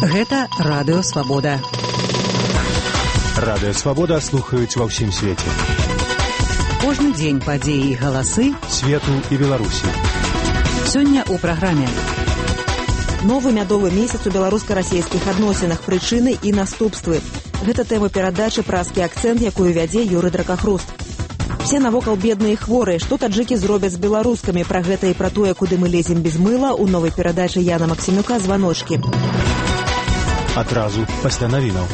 Гэта Радыё Свабода. Радыё Свабода слухаюць ва ўсім свеце. Кожны дзень падзеі і галасы свету і Беларусі. Сёння ў праграме. Новы мядовы месяц у беларуска-расійскіх адносінах, прычыны і наступствы. Гэта тэма перадачы «Празкі акцэнт», якую вядзе Юрый Дракахруст. Все навокал бедныя і хворыя. Што таджыкі зробяць з беларускамі? Пра гэта і пра тое, куды мы лезем без мыла, у новай перадачы Яна Максімюка «Званочкі». Адразу пасля навінаў.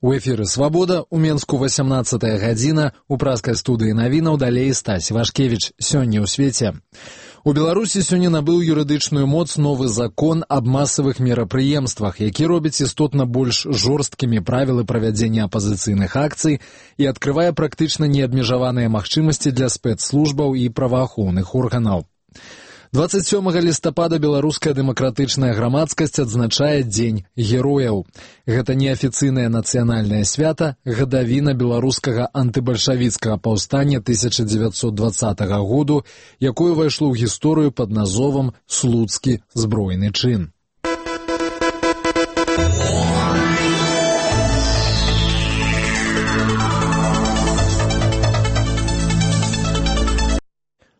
У эфіры «Свабода», у Менску 18-я гадзіна, у празкай студыі навінаў далей Стась Вашкевіч. Сёння ў свеце. У Беларусі сёння набыў юрыдычную моц новы закон аб масавых мерапрыемствах, які робіць істотна больш жорсткімі правілы правядзення апазіцыйных акцый і адкрывае практычна неабмежаваныя магчымасці для спецслужбаў і праваахоўных органаў. 27 лістапада беларуская дэмакратычная грамадскасць адзначае Дзень герояў. Гэта неафіцыйнае нацыянальнае свята, гадавіна беларускага антыбальшавіцкага паўстання 1920 году, якое ўвайшло ў гісторыю пад назовам «Слуцкі збройны чын».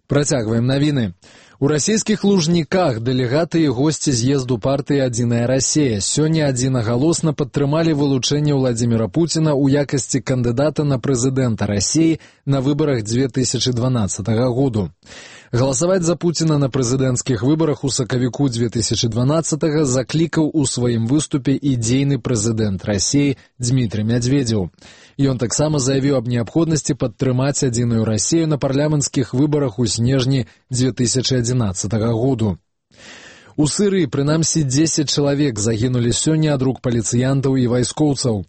Працягваем навіны. У расійскіх Лужніках дэлегаты і госці з'езду партыі «Адзіная Расія» сёння адзінагалосна падтрымалі вылучэнне Владзіміра Пуціна ў якасці кандыдата на прэзідэнта Расіі на выбарах 2012 году. Галасаваць за Пуціна на прэзідэнцкіх выбарах у сакавіку 2012 заклікаў у сваім выступе і дзейны прэзідэнт Расіі Дмітрый Мядзведзеў. Ён таксама заявіў аб неабходнасці падтрымаць «Адзіную Расію» на парламенцкіх выбарах у снежні 2011 году. У Сырыі прынамсі 10 чалавек загінулі сёння ад рук паліцыянтаў і вайскоўцаў.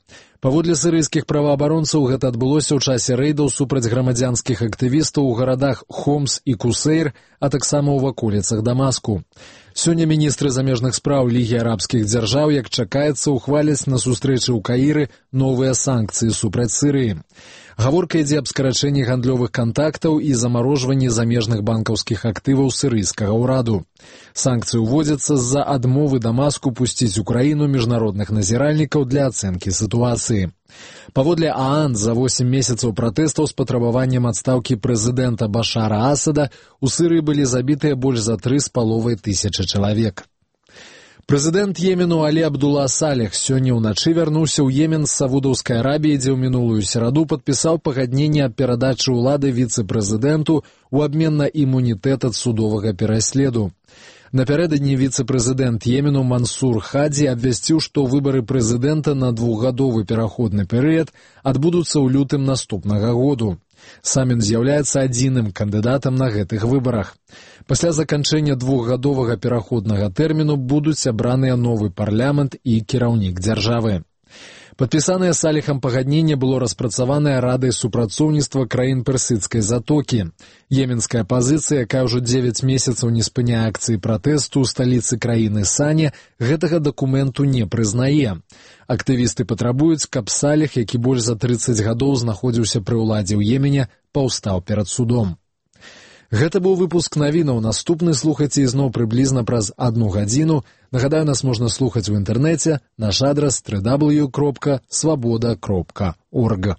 Паводле сырыйскіх праваабаронцаў гэта адбылося ў часе рэйдаў супраць грамадзянскіх актывістаў у гарадах Хомс і Кусейр, а таксама ў ваколіцах Дамаску. Сёння міністры замежных спраў Лігі арабскіх дзяржаў, як чакаецца, ухваляць на сустрэчы ў Каіры новыя санкцыі супраць Сырыі. Гаворка ідзе аб скарачэнні гандлёвых кантактаў і замарожванні замежных банкаўскіх актываў сырыйскага ўраду. Санкцыі ўводзяцца з-за адмовы Дамаску пусціць у краіну міжнародных назіральнікаў для ацэнкі сітуацыі. Паводле ААН, за 8 месяцаў пратэстаў з патрабаваннем адстаўкі прэзідэнта Башара Асада у Сырыі былі забітыя больш за 3,5 тысячы чалавек. Прэзідэнт Йемену Алі Абдулла Салех сёння ўначы вярнуўся ў Йемен з Саудаўскай Арабіі, дзе ў мінулую сераду падпісаў пагадненне аб перадачы ўлады віцэ-прэзідэнту ў абмен на імунітэт ад судовага пераследу. Напярэдадні віцэ-прэзідэнт Йемену Мансур Хадзі абвясціў, што выбары прэзідэнта на двухгадовы пераходны перыяд адбудуцца ў лютым наступнага году. Сам ён з'яўляецца адзіным кандыдатам на гэтых выбарах. Пасля заканчэння двухгадовага пераходнага тэрміну будуць абраныя новы парламент і кіраўнік дзяржавы. Падпісанае Салехам пагадненне было распрацаванае Радай супрацоўніцтва краін Персідскай затокі. Йеменская апазіцыя, якая ўжо 9 месяцаў не спыняе акцыі пратэсту ў сталіцы краіны Сане, гэтага дакументу не прызнае. Актывісты патрабуюць, каб Салех, які больш за 30 гадоў знаходзіўся пры ўладзе ў Йемене, паўстаў перад судом. Гэта быў выпуск навінаў. Наступны слухайце ізноў прыблізна праз 1 гадзіну. Нагадаю, нас можна слухаць у інтэрнэце. Наш адрас www.swaboda.org.